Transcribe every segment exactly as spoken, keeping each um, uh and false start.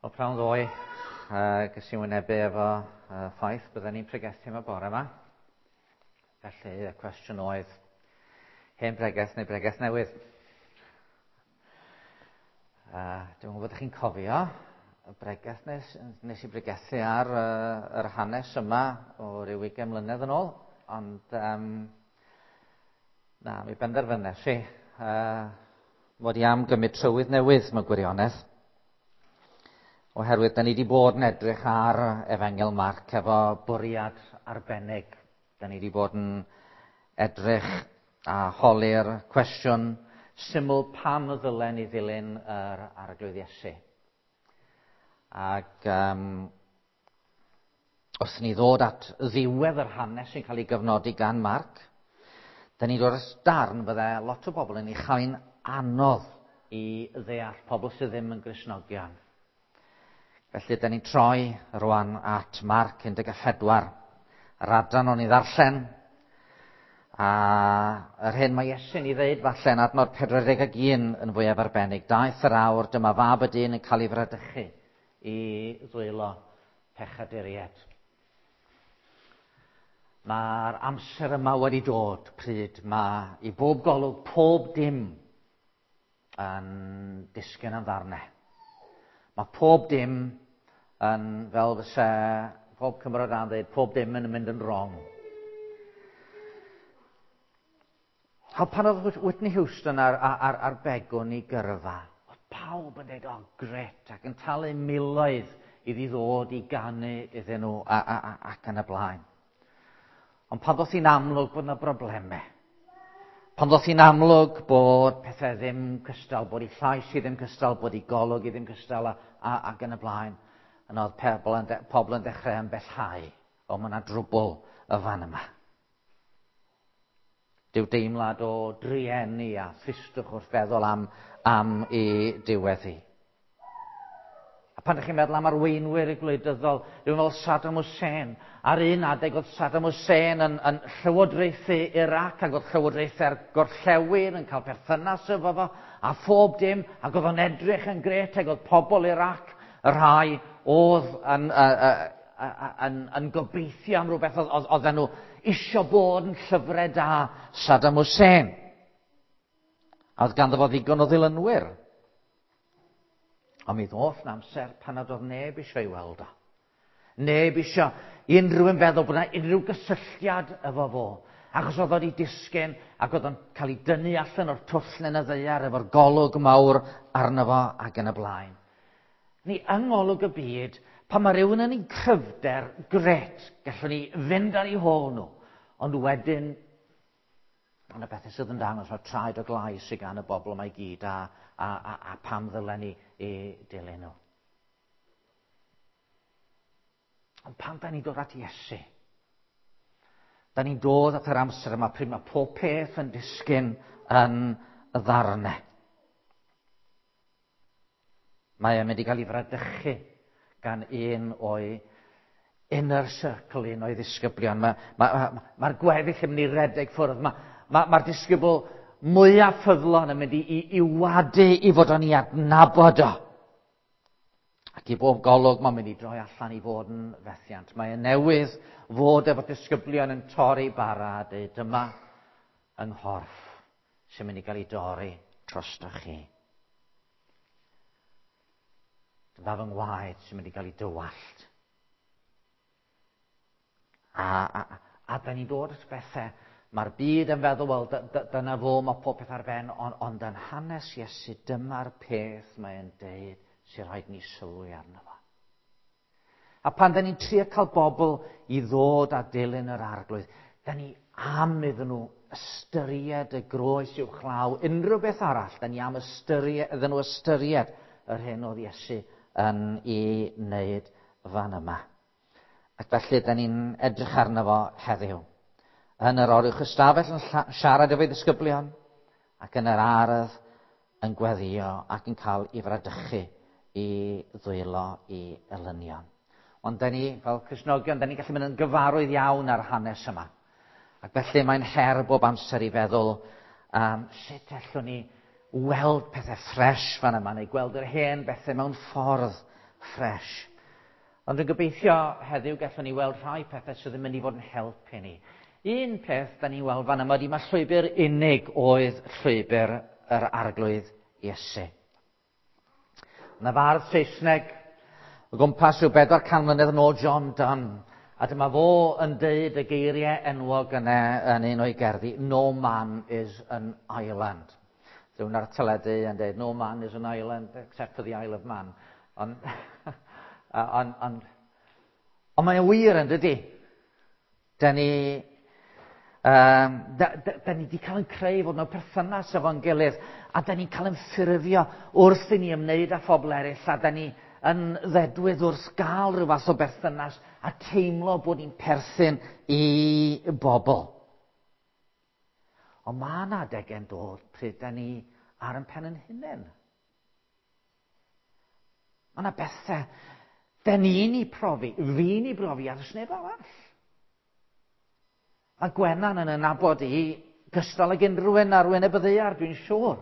Wel, prawn ddoe, uh, ges i wynebu efo uh, ffaith bydden ni'n pregethu yma bore yma. Felly, y cwestiwn oedd, hen bregeth neu bregeth newydd? Uh, Dwi'n gwybod ydych chi'n cofio y bregeth nes, nes i bregethu ar uh, yr hanes yma o ryw ugain mlynedd yn ôl, ond um, na, mi benderfynes i uh, mod i am gymryd trywydd newydd mewn gwirionedd. Oherwydd, da ni wedi bod yn edrych ar Efengyl Marc efo bwriad arbennig. Da ni wedi bod yn edrych a holi'r cwestiwn syml pam y ddylen ni ddilyn yr Arglwydd Iesu. Ac um, wrth ni ddod at ddiwedd yr hanes sy'n cael ei gyfnodi gan Marc, da ni'n dod at darn fydde lot o bobl yn ei chael anodd i ddeall, pobl sydd ddim yn Gristnogion. Felly, da ni'n troi rwan at Marc un deg pedwar, yr adran o'n i ddarllen, a yr hyn mae Iesu'n ei ddeud falle yn adnod pedwar deg ag un yn fwyaf arbennig. Daeth yr awr, dyma fab y dyn yn cael ei fradychu i ddwylo pechaduriaid. Mae'r amser yma wedi dod pryd mae i bob golwg pob dim yn disgyn yn ddarnau. Mae pob dim yn, fel fyse pob Cymro da'n dweud, pob dim yn mynd yn wrong. A pan oedd Whitney Houston ar, ar, ar begwn i gyrfa, oedd pawb yn dweud, oh, gret, ac yn talu miloedd iddi ddod i ganu iddyn nhw a, a, a, ac yn y blaen. Ond pan ddoth hi'n amlwg bod yna broblemau, pan ddoth hi'n amlwg bod pethau ddim cystal, bod ei llais i ddim cystal, bod ei golwg i ddim cystal a, a, ac yn y blaen, yna oedd pobl yn, de, pobl yn dechrau ymbellhau. O, mae yna drwbl y fan yma. Dyw deimlad o drueni a thristwch wrth feddwl am, am ei diwedd hi. A pan ydych chi'n meddwl am arweinwyr y gwleidyddol, rhywun fel Saddam Hussein. Ar un adeg oedd Saddam Hussein yn, yn llywodraethu Iraq ac oedd llywodraethau'r gorllewin yn cael perthynas efo fo, a phob dim, ac oedd o'n edrych yn gret, ac oedd pobl Iraq, y rhai oedd yn, uh, uh, yn, yn gobeithio am rhywbeth, oedd, oedden nhw isio bod yn llyfrau da Saddam Hussein. A oedd ganddo fo ddigon o ddilynwyr. Ond mi ddoth yn amser pan nad oedd neb eisiau ei weld o. Neb eisiau unrhyw un feddwl bod yna unrhyw gysylltiad efo fo. Achos oedd o'n ei disgyn ac oedd o'n cael ei dynnu allan o'r twll yn y ddaear efo'r golwg mawr arno fo ac yn y blaen. Ni yng ngolwg y byd, pan mae rhywun yn ei cryfder, gret, gallwn ni fynd ar eu hôl nhw. Ond wedyn, mae yna bethau sydd yn dangos, mae traed o glai sydd gan y bobl yma i gyd a, a, a, a pam ddylen ni i dilyn nhw. Ond pan da ni'n dod at Iesu, da ni'n dod at yr amser yma pryd mae pob peth yn disgyn yn y ddarnau. Mae e'n mynd i gael ei fradychu gan un o'i inner circle, un o'i ddisgyblion. Mae'r ma, ma, ma gweddill yn mynd i redeg ffwrdd. Mae'r ma, ma disgybl mwyaf ffyddlon yn mynd i, i, i wadu i fod o'n i adnabod o. Ac i bob golwg mae'n mynd i droi allan i fod yn fethiant. Mae e newydd fod efo disgyblion yn torri bara a dweud dyma yng nghorff sy'n mynd i gael ei dorri drostoch chi. Dyma fy ngwaed sy'n mynd i gael ei dywallt. A, a, a da ni'n dod at bethau. Mae'r byd yn feddwl, wel, dyna fo, mae pob peth ar ben, ond, ond yn hanes Iesu, dyma'r peth mae'n deud sy'n rhaid ni sylwi arno fo. A pan da ni'n trio cael bobl i ddod a dilyn yr Arglwydd, da ni am iddyn nhw ystyried y groes uwchlaw, unrhyw beth arall, da ni am ystyried, iddyn nhw ystyried yr hyn oedd Iesu yn ei wneud fan yma. Ac felly, da ni'n edrych arno fo heddiw. Yn yr oruwch ystafell yn siarad efo'i ddisgyblion, ac yn yr ardd yn gweddïo ac yn cael ei fradychu i ddwylo i elynion. Ond da ni, fel Cristnogion, da ni'n gallu mynd yn gyfarwydd iawn ar hanes yma. Ac felly mae'n her bob amser i feddwl um, sut allwn ni weld pethau ffres fan yma, neu gweld yr hen bethau mewn ffordd ffres. Ond yn gobeithio heddiw gallwn ni weld rhai pethau sydd yn mynd i fod yn help i ni. Un peth da ni'n weld fan yma ydy mae llwybr unig oedd llwybr yr Arglwydd Iesu. Yna fardd Saesneg o gwmpas rhyw bedwar can mlynedd yn ôl, John Donne, a dyma fo yn deud y geiriau enwog yna yn un o'i gerddi, "No man is an island." Rhywun ar y teledu yn deud, "No man is an island except for the Isle of Man." Ond on, on, ond mae'n wir yn dydy. Da ni, um, da, da, da ni wedi cael yn creu fod mewn perthynas efo'n gilydd, a da ni'n cael yn ffurfio wrth i ni ymwneud â phobl eraill, a da ni yn ddedwydd wrth gael rhyw fath o berthynas a teimlo bod ni'n perthyn i bobl. Ond mae yna adegau'n dod pryd da ni ar ein pen yn hunain. Mae yna bethau da ni'n ei profi, fi'n ei brofi, a does neb arall. Mae Gwenan yn nabod i gystal ag unrhyw un ar wyneb y ddaear, dwi'n siŵr.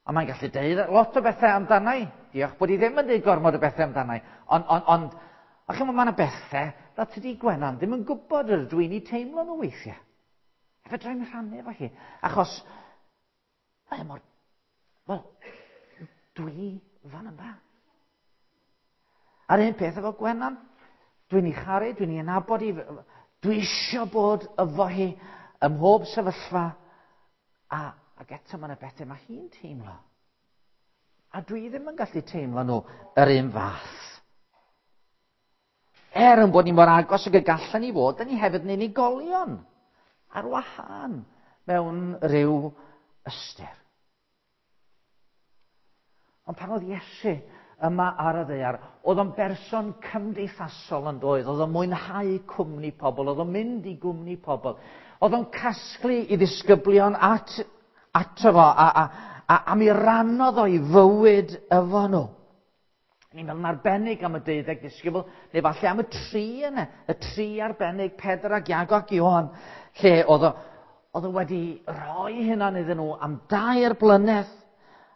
A mae'n gallu deud lot o bethau amdana i. Diolch bod i ddim yn deud gormod o bethau amdana i. Ond, ond, ond, a chymod, mae yna bethau na tydi Gwenan ddim yn gwybod yr dwi'n ei teimlo nhw weithiau. A fedra i'm rhannu efo hi. Achos, mae mor... Wel, dwi fan yma. A'r un peth efo Gwenan, dwi'n ei charu, dwi'n ei nabod i, dwi eisiau bod efo hi ym mhob sefyllfa, a, ac eto mae yna bethau mae hi'n teimlo. A dwi ddim yn gallu teimlo nhw yr un fath. Er yn bod ni mor agos ag y gallen ni fod, da ni hefyd yn unigolion ar wahân mewn rhyw ystyr. Ond pan oedd Iesu yma ar y ddaear, oedd o'n berson cymdeithasol yn doedd, oedd o'n mwynhau cwmni pobl, oedd o'n mynd i gwmni pobl, oedd o'n casglu i ddisgyblion at, ato fo, a, a, a, a mi rannodd o'i fywyd efo nhw. Ni'n meddwl yn arbennig am y deuddeg disgybl, neu falle am y tri yna, y tri arbennig, Pedr ac Iago ac Ioan, lle oedd o, oedd o wedi rhoi hynna iddyn nhw am dair blynedd,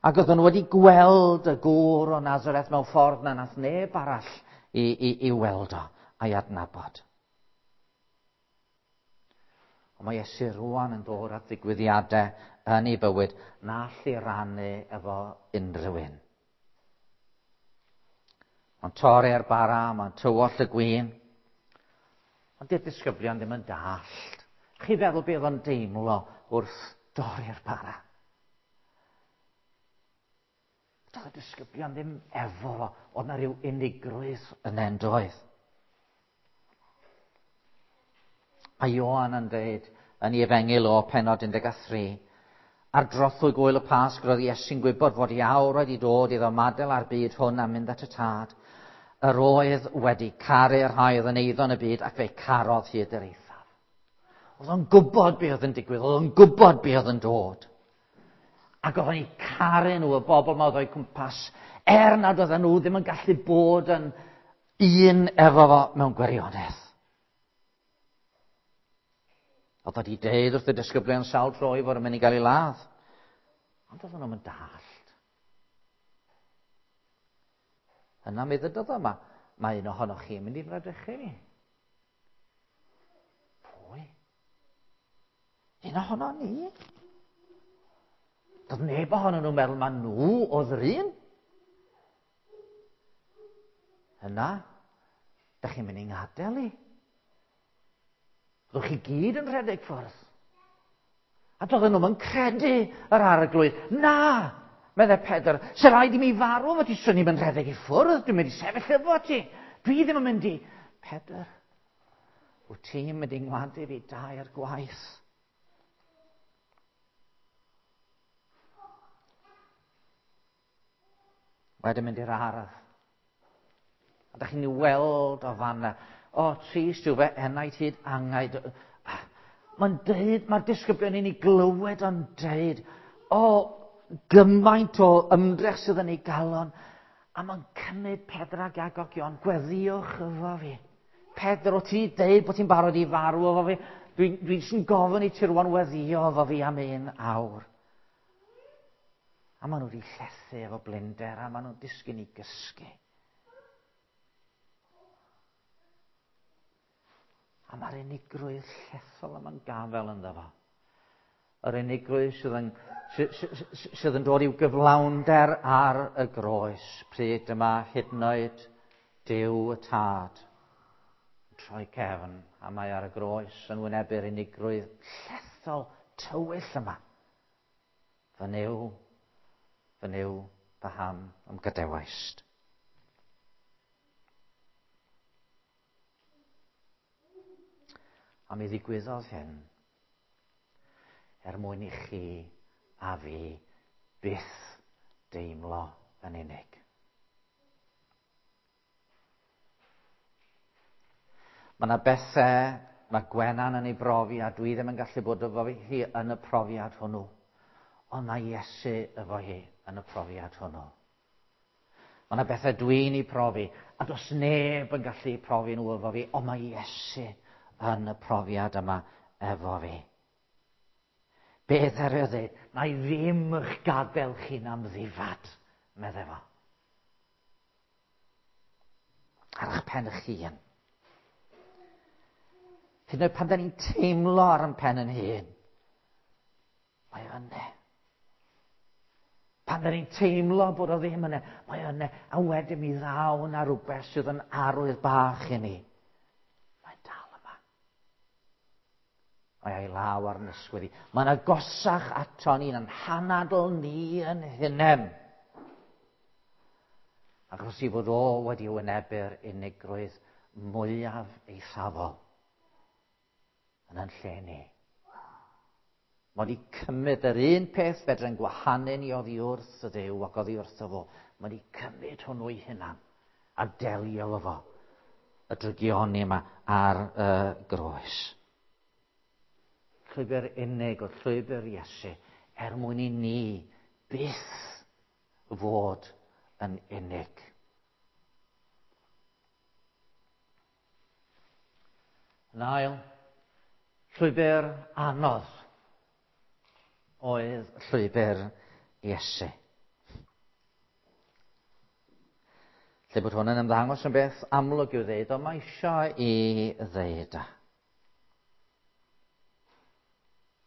ac oedden nhw wedi gweld y gŵr o Nazareth mewn ffordd na nath neb arall i, i, i weld o a'i adnabod. Ond mae Iesu rwan yn dod at ddigwyddiadau yn ei bywyd na all ei rannu efo unrhyw un. Mae'n torri'r bara, mae'n tywallt y gwin. Ond di'r disgyblion ddim yn dallt. Chi feddwl beth o'n deimlo wrth dorri'r bara? Doedd y disgyblion ddim efo fo, oedd na rhyw unigrwydd yn en doedd. Mae Ioan yn dweud yn ei efengyl o pennod un deg tri, ar drothwy gwyl y Pasg roedd Iesu'n gwybod fod ei awr wedi dod iddo ymadael â'r byd hwn a mynd at y Tad. Yr oedd wedi caru'r rhai oedd yn eiddo yn y byd ac fe carodd hyd yr eithaf. Oedd o'n gwybod be oedd yn digwydd, oedd o'n gwybod be oedd yn dod. Ac oedd o'n eu caru nhw, y bobl ma oedd o'i cwmpas, er nad oedden nhw ddim yn gallu bod yn un efo fo mewn gwirionedd. Oedd wedi deud wrth y disgyblion sawl tro i fod yn mynd i gael ei ladd. Ond oedden nhw'n dallt. Yna mi ddydodd yma, mae un ohonoch chi'n mynd i fradychu fi. Pwy? Un ohono ni? Doedd neb ohonyn nhw'n meddwl ma nhw oedd yr un. Yna, da chi'n mynd i ngadael i. Byddwch chi gyd yn rhedeg ffwrdd. A doedden nhw'n credu yr Arglwydd. Na, meddai Pedr, se rhaid i mi farw efo ti, swn i'm yn rhedeg i ffwrdd, dwi'n mynd i sefyll efo ti. Dwi ddim yn mynd i... Pedr, wyt ti'n mynd i ngwadu fi dair gwaith? Wedyn mynd i'r ardd. A da chi'n ei weld o fanna. O, trist yw fe enaid hyd angaid. Mae'n deud, mae'r disgyblion i'n ei glywed o'n deud, o, gymaint o ymdrech sydd yn ei galon. A mae'n cymryd Pedr ac Iago ac Ioan, gweddiwch efo fi. Pedr, o ti deud bod ti'n barod i farw efo fi? Dwi'n dwi sy'n gofyn i ti rwan weddio efo fi am un awr. A maen nhw wedi llethu efo blinder, a maen nhw'n disgyn i gysgu. A mae'r unigrwydd llethol yma'n gafel ynddo fo. Yr unigrwydd sydd yn, sydd yn dod i'w gyflawnder ar y groes, pryd yma hyd yn oed Duw y Tad yn troi cefn, a mae ar y groes yn wynebu'r unigrwydd llethol tywyll yma. Fy Nuw, fy Nuw, paham a'm gadewaist? A mi ddigwyddodd hyn er mwyn i chi a fi byth deimlo yn unig. Mae yna bethau mae Gwenan yn ei brofi a dwi ddim yn gallu bod efo hi yn y profiad hwnnw. Ond mae Iesu efo hi yn y profiad hwnnw. Mae yna bethau dwi'n ei profi a does neb yn gallu profi nhw efo fi, ond mae Iesu yn y profiad yma efo fi. Beth ar y ddeud? Na i ddim eich gadael chi'n amddifad, meddai fo. Ar eich pen eich hun. Hyd yn oed pan da ni'n teimlo ar ein pen yn hun, mae yna. Pan da ni'n teimlo bod o ddim yna, mae yna. A wedyn mi ddaw na rhywbeth sydd yn arwydd bach i ni. Mae'n dal yma. Mae ei law ar yn ysgwydd i. Mae'n agosach ato ni, yn hanadl ni yn hunain. Achos i fod o wedi wynebu'r unigrwydd mwyaf eithafol yn yn lle ni. Mae wedi cymryd yr un peth fedrwn gwahanu ni oddi wrth y Dduw ac oddi wrtho fo. Mae wedi cymryd hwnnw ei hunan a delio efo fo. Y drygioni yma ar y groes. Llwybr unig o llwybr Iesu er mwyn i ni byth fod yn unig. Yn ail, llwybr anodd oedd llwybr Iesu. Lle bod hwn yn ymddangos yn beth amlwg i'w ddeud, ond mae eisiau i ddeud.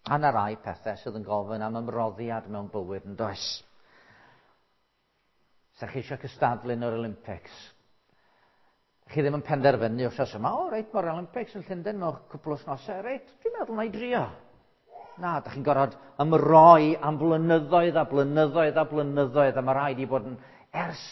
A na rai pethau sydd yn gofyn am ymroddiad mewn bywyd yn does. Sa chi eisiau cystadlu yn yr Olympics? Chi ddim yn penderfynu wrth yma, o reit, mae'r Olympics yn Llundain mewn cwpl o wythnosau, reit, dwi'n meddwl na i drio. Na, da chi'n gorfod ymroi am blynyddoedd a blynyddoedd a blynyddoedd, a mae rhaid i bod yn ers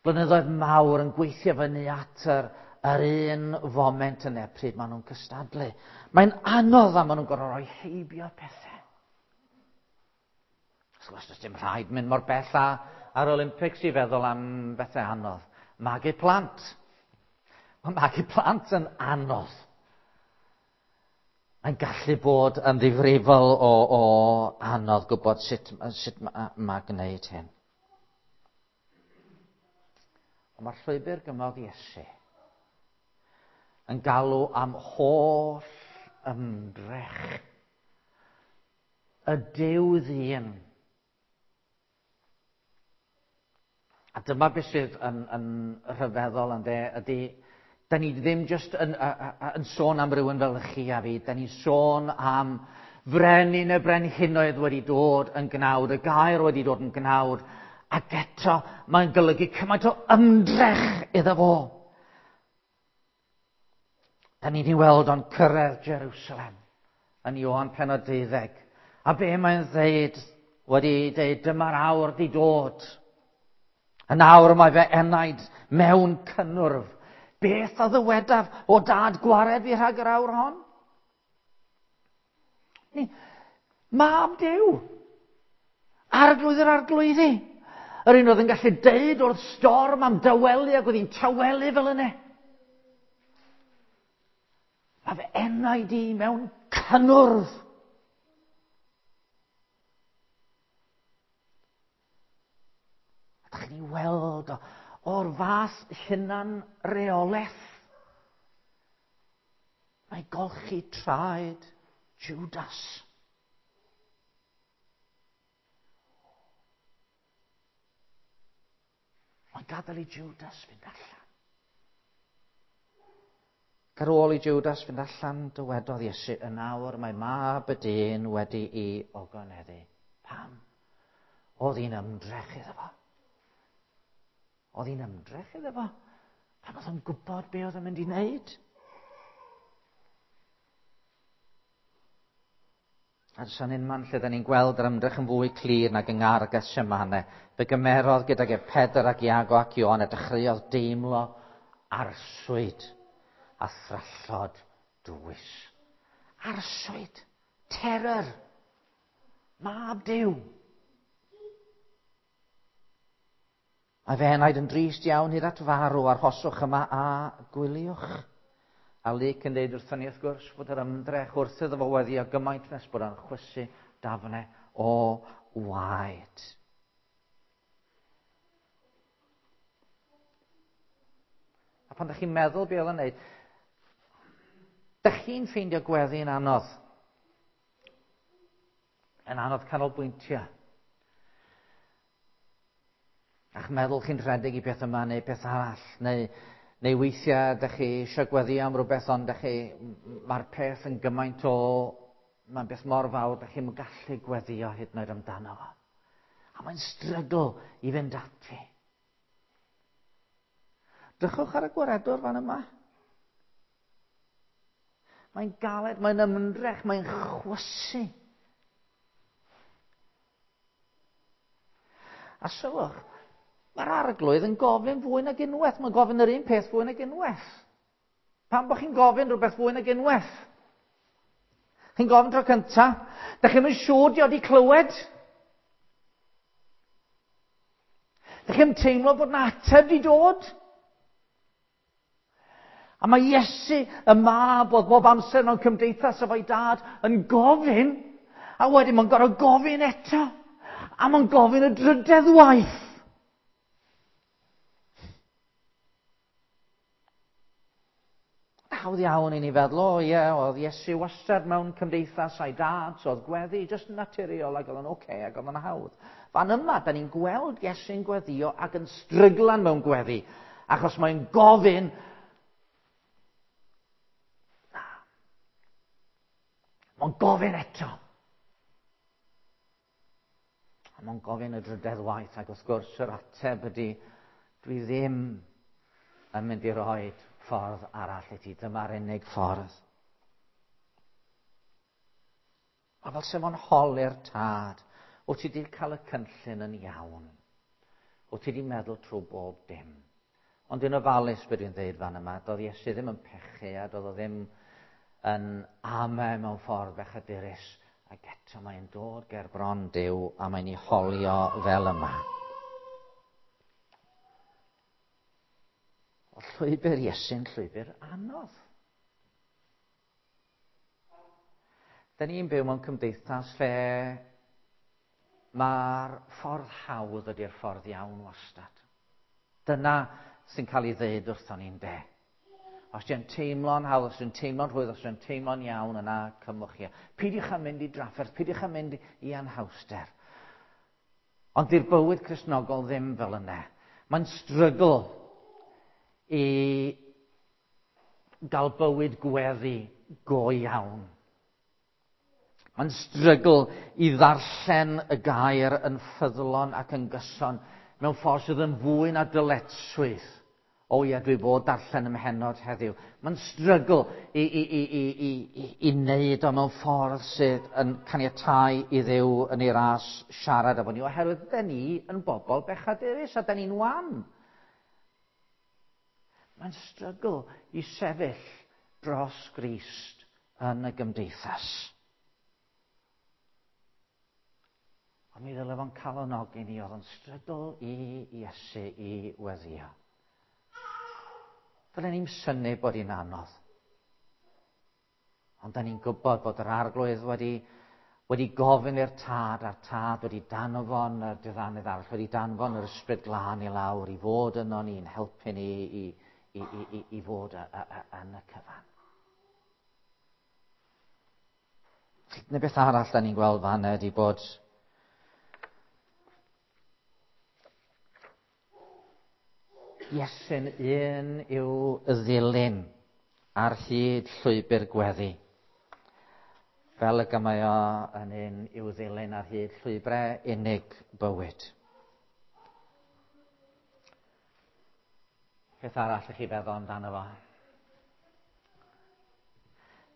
blynyddoedd mawr yn gweithio fyny at yr, yr un foment yna pryd maen nhw'n cystadlu. Mae'n anodd a maen nhw'n gorfod rhoi heibio pethau. Wrth gwrs, does dim rhaid mynd mor bell a, ar Olympics i feddwl am bethau anodd. Magu plant. Mae magu plant yn anodd. Mae'n gallu bod yn ddifrifol o, o anodd gwybod sut, sut mae, mae gwneud hyn. Ond mae'r llwybr gymodd Iesu yn galw am holl ymdrech y Duw ddyn. A dyma beth sydd yn, yn rhyfeddol ynde, ydy, da ni ddim jyst yn, a, a, yn sôn am rywun fel chi a fi, da ni'n sôn am frenin y brenhinoedd wedi dod yn gnawd, y gair wedi dod yn gnawd, ac eto mae'n golygu cymaint o ymdrech iddo fo. Da ni wedi weld o'n cyrraedd Jerusalem yn Ioan pennod deuddeg. A be mae'n ddeud wedi dweud, dyma'r awr di dod. Yn awr mae fe enaid mewn cynnwrf. Beth a ddywedaf o dad gwared fi rhag yr awr hon? Ni, mab Duw. Arglwydd yr arglwyddi. Yr un oedd yn gallu deud wrth storm am dawelu ac oedd hi'n tawelu fel yna. Mae fy enaid i mewn cynnwrf. A dach chi'n ei weld o, o'r fath hunan reolaeth. Mae golchi traed Judas. Mae'n gadael i Judas fynd allan. Ar ôl i Judas fynd allan, dywedodd Iesu, yn awr mae mab y dyn wedi'i ogoneddu. Pam? Oedd hi'n ymdrech iddo fo. Oedd hi'n ymdrech iddo fo. Pam oedd o'n gwybod be oedd o'n mynd i wneud? A does unman lle da ni'n gweld yr ymdrech yn fwy clir nag yng Ngardd Gethsemane. Fe gymerodd gydag e Pedr ac Iago ac Ioan a dechreuodd deimlo arswyd a thrallod dwys. Arswyd, terror, mab Duw. Mae fe enaid yn drist iawn hyd at farw, arhoswch yma a gwyliwch. A Luc yn dweud wrthon ni wrth gwrs fod yr ymdrech wrth iddo fo weddio gymaint nes bod o'n chwysu dafnau o waed. A pan ydych chi'n meddwl be oedd o'n neud, dych chi'n ffeindio gweddi'n anodd. Yn anodd canolbwyntio. A'ch meddwl chi'n rhedeg i beth yma neu beth arall, neu, neu weithiau ydych chi eisiau gweddi am rhywbeth, ond ydych chi, mae'r peth yn gymaint o, mae'n beth mor fawr, ydych chi'n gallu gweddio hyd yn oed amdano fo. A mae'n strygl i fynd ati. Drychwch ar y gwaredwr fan yma. Mae'n galed, mae'n ymdrech, mae'n chwysu. A sylwch, mae'r arglwydd yn gofyn fwy nag unwaith. Mae'n gofyn yr un peth fwy nag unwaith. Pam bod chi'n gofyn rhywbeth fwy nag unwaith? Chi'n gofyn tro cynta, dach chi'm yn siŵr di o di clywed. Dach chi'm teimlo bod 'na ateb di dod. A mae Iesu, y mab, oedd bob amser mewn cymdeithas efo'i dad, yn gofyn, a wedyn mae'n gorfod gofyn eto, a mae'n gofyn y drydedd waith. Hawdd iawn i ni feddwl, o ie, oedd Iesu wastad mewn cymdeithas a'i dad, so oedd gweddi jyst yn naturiol ac oedd o'n oce okay, ac oedd o'n hawdd. Fan yma, da ni'n gweld Iesu'n gweddio ac yn stryglan mewn gweddi, achos mae'n gofyn. Mae'n gofyn eto. A mae'n gofyn y drydedd waith, ac wrth gwrs yr ateb ydy, dwi ddim yn mynd i roi ffordd arall i ti, dyma'r unig ffordd. A fel sef o'n holi'r tad, wyt ti wedi cael y cynllun yn iawn? Wyt ti wedi meddwl trwy bob dim? Ond dwi'n ofalus beth dwi'n dweud fan yma, doedd Iesu ddim yn pechu a doedd o ddim yn ame mewn ffordd bechadurus, ac eto mae'n dod ger bron Duw a mae'n ei holio fel yma. O llwybr Iesu'n llwybr anodd. Da ni'n byw mewn cymdeithas lle mae'r ffordd hawdd ydy'r ffordd iawn wastad. Dyna sy'n cael ei ddeud wrthon ni'n de. Os ti'n teimlo'n hawdd, os ti'n teimlo'n rhwydd, os ti'n teimlo'n iawn, yna cymwch chi. Peidiwch â mynd i drafferth, peidiwch â mynd i anhawster. Ond di'r bywyd Cristnogol ddim fel yna. Mae'n strygl i gael bywyd gweddi go iawn. Mae'n strygl i ddarllen y gair yn ffyddlon ac yn gyson mewn ffordd sydd yn fwy na dyletswydd. O ie, dwi fod darllen ym mhennod heddiw. Mae'n strygl i, i, i, i, i, i, i wneud o mewn ffordd sydd yn caniatáu i Dduw yn ei ras siarad efo ni, oherwydd da ni yn bobl bechadurus a da ni'n wan. Mae'n strygl i sefyll dros Grist yn y gymdeithas. Ond mi ddyle fo'n calonogi ni, oedd o'n strygl i Iesu i weddio. Dylen ni'n synnu bod hi'n anodd. Ond da ni'n gwybod bod yr arglwydd wedi, wedi gofyn i'r tad, a'r tad wedi danfon y diddanydd arall, wedi danfon yr ysbryd glân i lawr i fod yno ni'n helpu ni i, i, i, i, i fod a, a, a, yn y cyfan. Neu beth arall da ni'n gweld fan ydy bod Iesu'n un i'w ddilyn. ar hyd llwybr gweddi, fel y mae o yn un i'w ddilyn ar hyd llwybrau unig bywyd. Peth arall i chi feddwl amdano fo.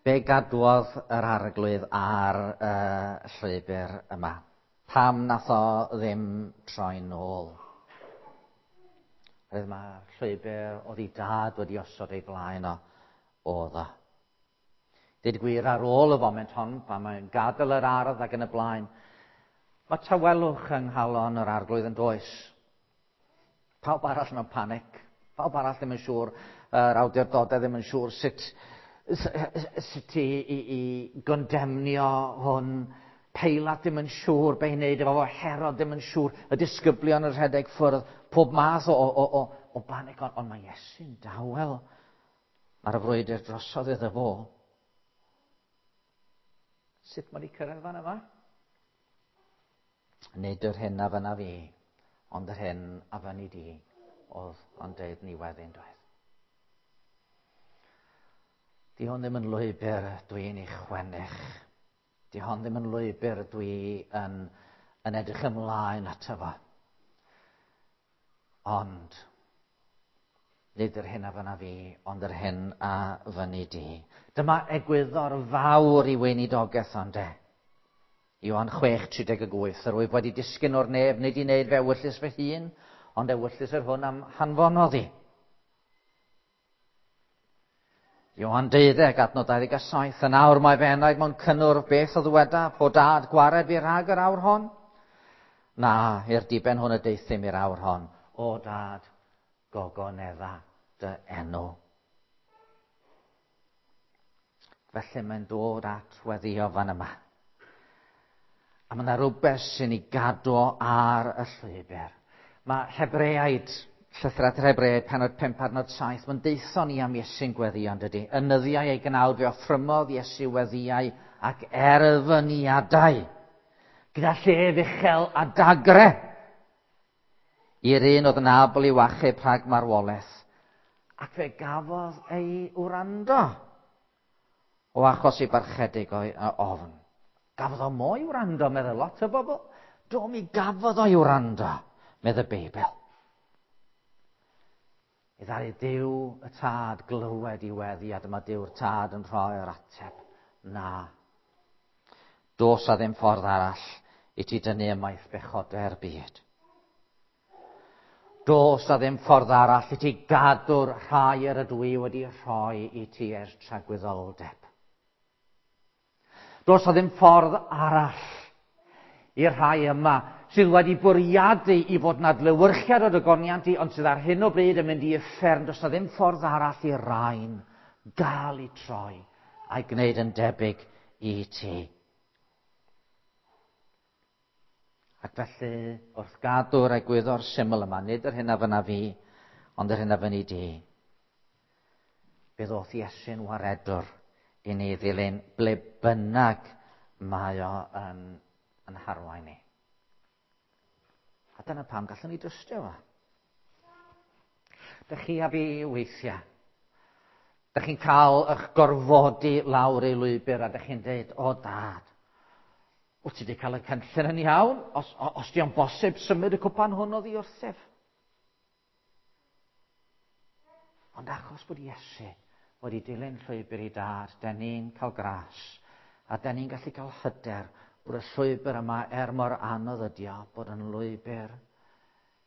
Be gadwodd yr Arglwydd ar y uh, llwybr yma? Pam nath o ddim troi nôl? Roedd mae'r llwybr oedd ei dad wedi osod ei blaen o, oedd o. Dweud gwir, ar ôl y foment hon, pan mae'n gadael yr ardd ac yn y blaen, mae tawelwch yng nghalon yr Arglwydd yn does. Pawb arall mewn panic, pawb arall ddim yn siŵr, yr awdurdodau ddim yn siŵr sut, sut i, i, i gondemnio hwn. Peilat ddim yn siŵr be i wneud efo fo, Herod ddim yn siŵr, y disgyblion yn rhedeg ffwrdd, pob math o, o, o, o banic, ond, ond mae Iesu'n dawel. Mae'r frwydr drosodd iddo fo. Sut mae wedi cyrraedd fan yma? Nid yr hyn a fynna fi, ond yr hyn a fynni di, oedd o'n deud ni wedyn doedd. Di hwn ddim yn lwybr dwi'n ei chwennych. Di hwn ddim yn lwybr dwi yn, yn edrych ymlaen ato fo. Ond, nid yr hyn a fynna fi, ond yr hyn a fynni di. Dyma egwyddor fawr i weinidogaeth ond e. Ioan chwech tri deg wyth, yr wyf wedi disgyn o'r nef, nid i wneud fe ewyllys fy hun, ond ewyllys yr hwn am hanfonodd i. Ioan deuddeg, adnod dau ddeg a saith, yn awr mae fy enaid mewn cynnwrf, beth o ddyweda, po dad gwared fi rhag yr awr hon? Na, i'r diben hwn y deuthum i'r awr hon. O dad, gogonedda dy enw. Felly mae'n dod at weddio fan yma. A mae yna rhywbeth sy'n ei gadw ar y llwybr. Mae Hebreaid, llythyr at yr Hebreaid, pennod pump adnod saith, mae'n deithio ni am Iesu'n gweddio, yn dydy. Yn nyddiau ei gnawd fe offrymodd Iesu weddiau ac erfyniadau, gyda llef uchel a dagre, i'r un oedd yn abl i'w achub rhag marwolaeth. Ac fe gafodd ei wrando o achos ei barchedig o'i ofn. Gafodd o mo'i wrando, meddwl lot o bobl. Do, mi gafodd o'i wrando, medd y Beibl. I ddaru Duw y Tad glywed i weddi, a dyma Duw'r Tad yn rhoi'r ateb. Na. Dos a ddim ffordd arall i ti dynnu ymaith bechodau'r byd. Dos a ddim ffordd arall i ti gadw'r rhai yr ydw i wedi rhoi i ti ers tragwyddoldeb. Dos a ddim ffordd arall i'r rhai yma sydd wedi bwriadu i fod yn adlewyrchiad o dygoniant i, ond sydd ar hyn o bryd yn mynd i uffern. Does na ddim ffordd arall i'r rhain gael eu troi a'i gwneud yn debyg i ti. Ac felly, wrth gadw'r egwyddor syml yma, nid yr hyn a fynna fi, ond yr hyn a fynni di, fe ddoth Iesu'n waredwr i ni ddilyn ble bynnag mae o yn, yn harwain ni. A dyna pam gallwn ni drystio fo. Dych chi a fi weithiau, dych chi'n cael eich gorfodi lawr ei lwybr a dych chi'n dweud, o dad, wyt ti wedi cael y cynllun yn iawn? Os, os di o'n bosib symud y cwpan hwn oddi wrthyf. Ond achos bod Iesu wedi dilyn llwybr i dad, den ni'n cael gras, a den ni'n gallu cael hyder bod y llwybr yma, er mor anodd ydi o, bod yn lwybr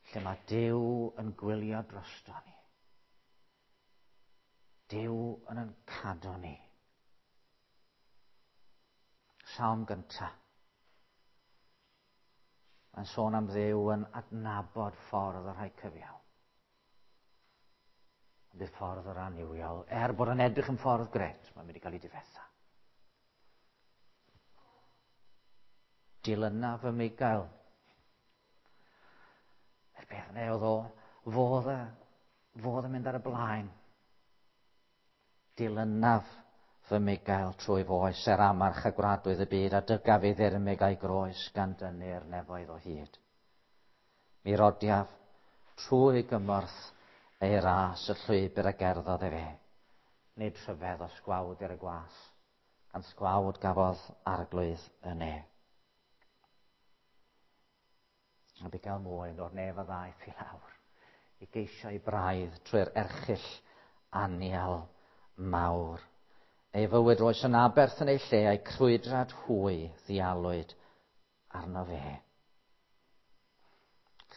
lle mae Duw yn gwylio drosto ni. Duw yn yn cadw ni. Salm gyntaf. Mae'n sôn am Dduw yn adnabod ffordd y rhai cyfiawn. Ond bydd ffordd yr annuwiol, er bod yn edrych yn ffordd gret, mae'n mynd i gael ei difetha. Dilyna fy Migael. Yr beth yna oedd o, fodd y, fodd yn mynd ar y blaen. Dilynaf fy Migael trwy foes er amarch a gwradwydd y byd, a dygaf ei ddirmyg a'i groes gan dynnu'r nefoedd o hyd. Mi rodiaf trwy gymorth ei ras y llwybr a gerddodd efe, Nid rhyfedd o sgwawd i'r y gwas, gan sgwawd gafodd arglwydd y ne. A bugail mwyn o'r nef a ddaeth i lawr, i geisio ei braidd trwy'r erchyll anial mawr. Ei fywyd roes yn aberth yn ei lle, a'i crwydrad hwy ddialwyd arno fe.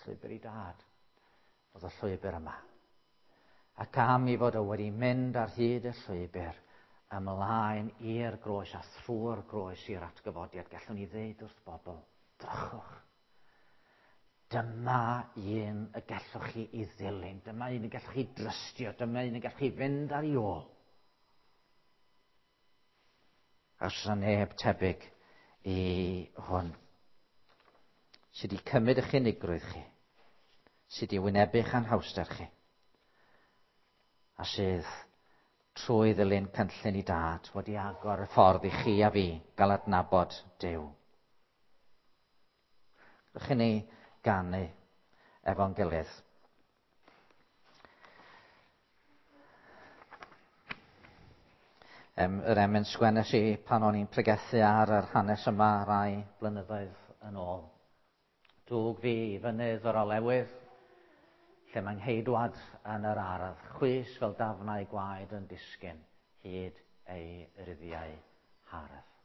Llwybr i dad oedd y llwybr yma. Ac am i fod o wedi mynd ar hyd y llwybr ymlaen i'r groes a thrwy'r groes i'r atgyfodiad, gallwn ni ddeud wrth bobl, drychwch. Dyma un y gallwch chi i ddilyn, dyma un y gallwch chi drystio, dyma un y gallwch chi fynd ar ei ôl. Os yna neb tebyg i hwn, sydd wedi cymryd eich unigrwydd chi, sydd wedi wynebu'ch anhawster chi, a sydd trwy ddilyn cynllun i dad wedi agor y ffordd i chi a fi gael adnabod Duw. Rydych chi ni ganu efo'n gilydd. Um, yr emyn sgwennes i pan o'n i'n pregethu ar yr hanes yma rai blynyddoedd yn ôl. Dwg fi i fynydd yr olewydd, lle mae'n ngheidwad yn yr ardd, chwys fel dafnau gwaed yn disgyn hyd ei ryddiau hardd.